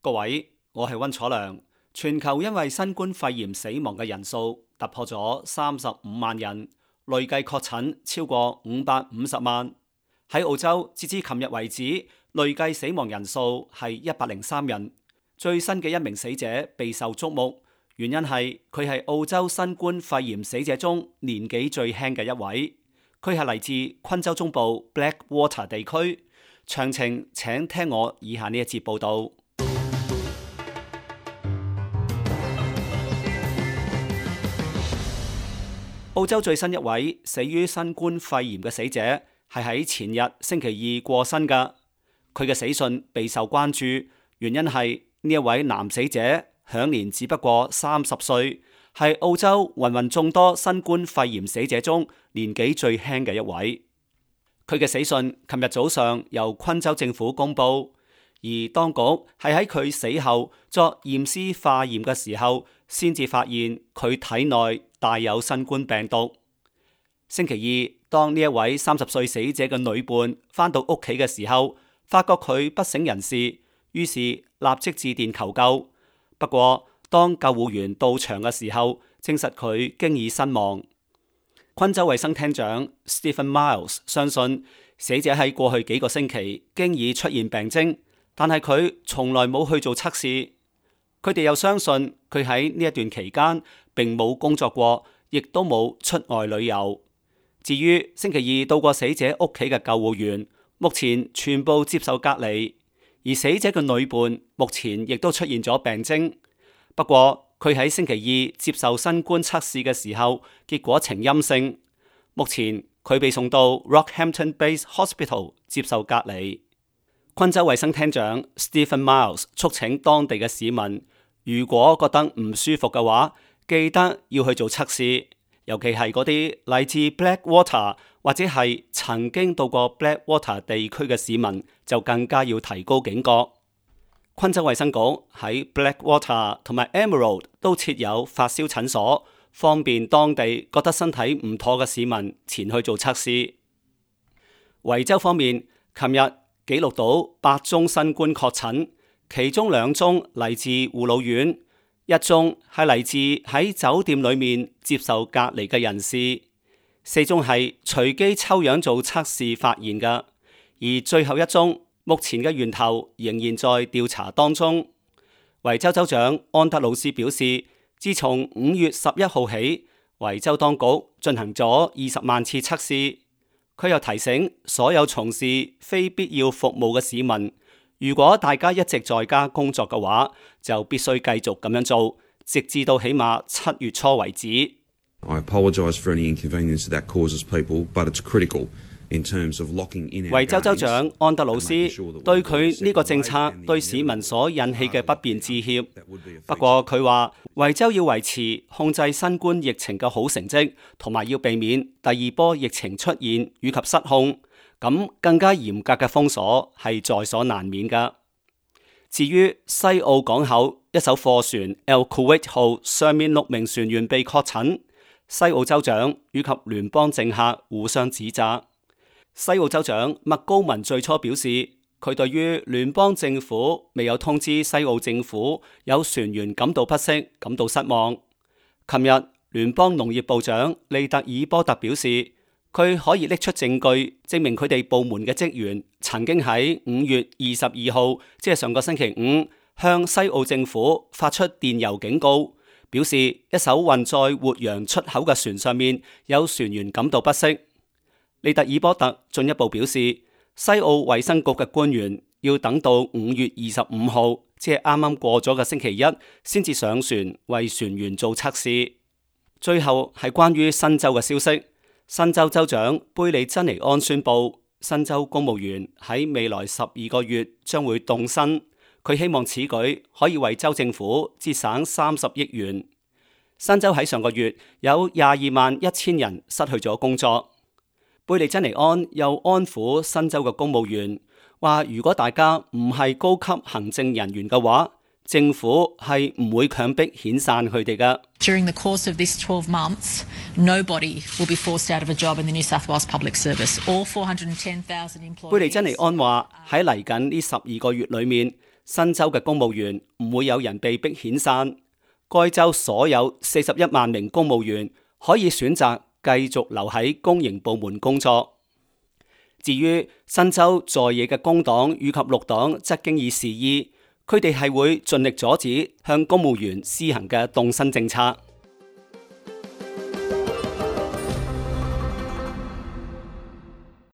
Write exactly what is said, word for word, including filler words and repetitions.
各位，我係溫楚良。全球因為新冠肺炎死亡嘅人數突破咗三十五萬人，累計確診超過五百五十萬。喺澳洲，截至琴日為止，累計死亡人數係一百零三人。最新嘅一名死者備受矚目，原因係佢係澳洲新冠肺炎死者中年紀最輕嘅一位。佢係嚟自昆州中部 Blackwater 地區。詳情請聽我以下呢一節報道。澳洲最新一位死於新冠肺炎嘅死者係喺前日星期二過身㗎。佢嘅死訊備受關注，原因係呢一位男死者享年只不過三十歲，係澳洲芸芸眾多新冠肺炎死者中年紀最輕嘅一位。佢嘅死訊琴日早上由昆州政府公布，而當局係喺佢死後作驗屍化驗嘅時候，先至發現佢體內帶有新冠病毒。星期二，當呢一位三十歲死者嘅女伴返到屋企嘅時候，發覺佢不省人事，於是立即致電求救。不過，當救護員到場嘅時候，證實佢經已身亡。昆州衛生廳長 Stephen Miles 相信死者喺過去幾個星期經已出現病徵，但係佢從來冇去做測試。佢哋又相信佢喺呢一段期間並冇工作過，亦都冇出外旅遊。至於星期二到過死者屋企嘅救護員，目前全部接受隔離，而死者嘅女伴目前亦都出現咗病徵。不過佢喺星期二接受新冠測試嘅時候，結果呈陰性。目前佢被送到 Rockhampton Base Hospital 接受隔離。昆州衛生廳長 Stephen Miles 促請當地嘅市民，如果覺得唔舒服嘅話，記得要去做測試，尤其係嗰啲嚟自 Blackwater 或者係曾經到過 Blackwater 地區嘅市民，就更加要提高警覺。昆州衛生局喺 Blackwater 同埋 Emerald 都設有發燒診所，方便當地覺得身體唔妥嘅市民前去做測試。維州方面，琴日記錄到八宗新冠確診，其中兩宗嚟自護老院，一宗係嚟自喺酒店裏面接受隔離嘅人士，四宗係隨機抽樣做測試發現嘅，而最後一宗目前嘅源頭仍然在調查當中。維州州長安德魯斯表示，自從五月十一號起，維州當局進行咗二十萬次測試。佢又提醒所有從事非必要服務嘅市民，如果大家一直在家工作嘅話，就必須繼續咁樣做，直至到起碼七月初為止。I apologize for any inconvenience that causes people, but it's critical in terms of locking in our games. 維州州長安德魯斯對佢呢個政策對市民所引起嘅不便致歉。不過佢話，維州要維持控制新冠疫情嘅好成績，同埋要避免第二波疫情出現以及失控，咁更加嚴格嘅封鎖係在所難免㗎。至於西澳港口一艘貨船 El Kuwait 號上面六名船員被確診，西澳州長以及聯邦政客互相指責。西澳州長麥高文最初表示，佢對於聯邦政府未有通知西澳政府有船員感到不適，感到失望。琴日聯邦農業部長利特爾波特表示，佢可以拎出證據證明佢哋部門嘅職員曾經喺五月二十二號，即係上個星期五，向西澳政府發出電郵警告，表示一艘運載活羊出口嘅船上面有船員感到不適。利特爾波特進一步表示，西澳衛生局嘅官員要等到五月二十五號，即係啱啱過咗嘅星期一，先至上船為船員做測試。最後係關於新州嘅消息，新州州長貝利珍尼安宣布，新州公務員喺未來十二個月將會凍薪。佢希望此舉可以為州政府節省三十億元。新州喺上個月有廿二萬一千人失去咗工作。貝利珍尼安又安撫新州嘅公務員，話如果大家唔係高級行政人員嘅話，政府係唔會強迫遣散佢哋嘅。During the course of this twelve months, nobody will be forced out of a job in the New South Wales Public Service. All four hundred ten thousand employees. 貝利珍尼安話喺嚟緊呢十二個月裏面，新州嘅公務員唔會有人被逼遣散，該州所有四十一萬名公務員可以選擇繼續留喺公營部門工作。至於新州在野嘅工黨以及綠黨則經已示意，佢哋係會盡力阻止向公務員施行嘅凍薪政策。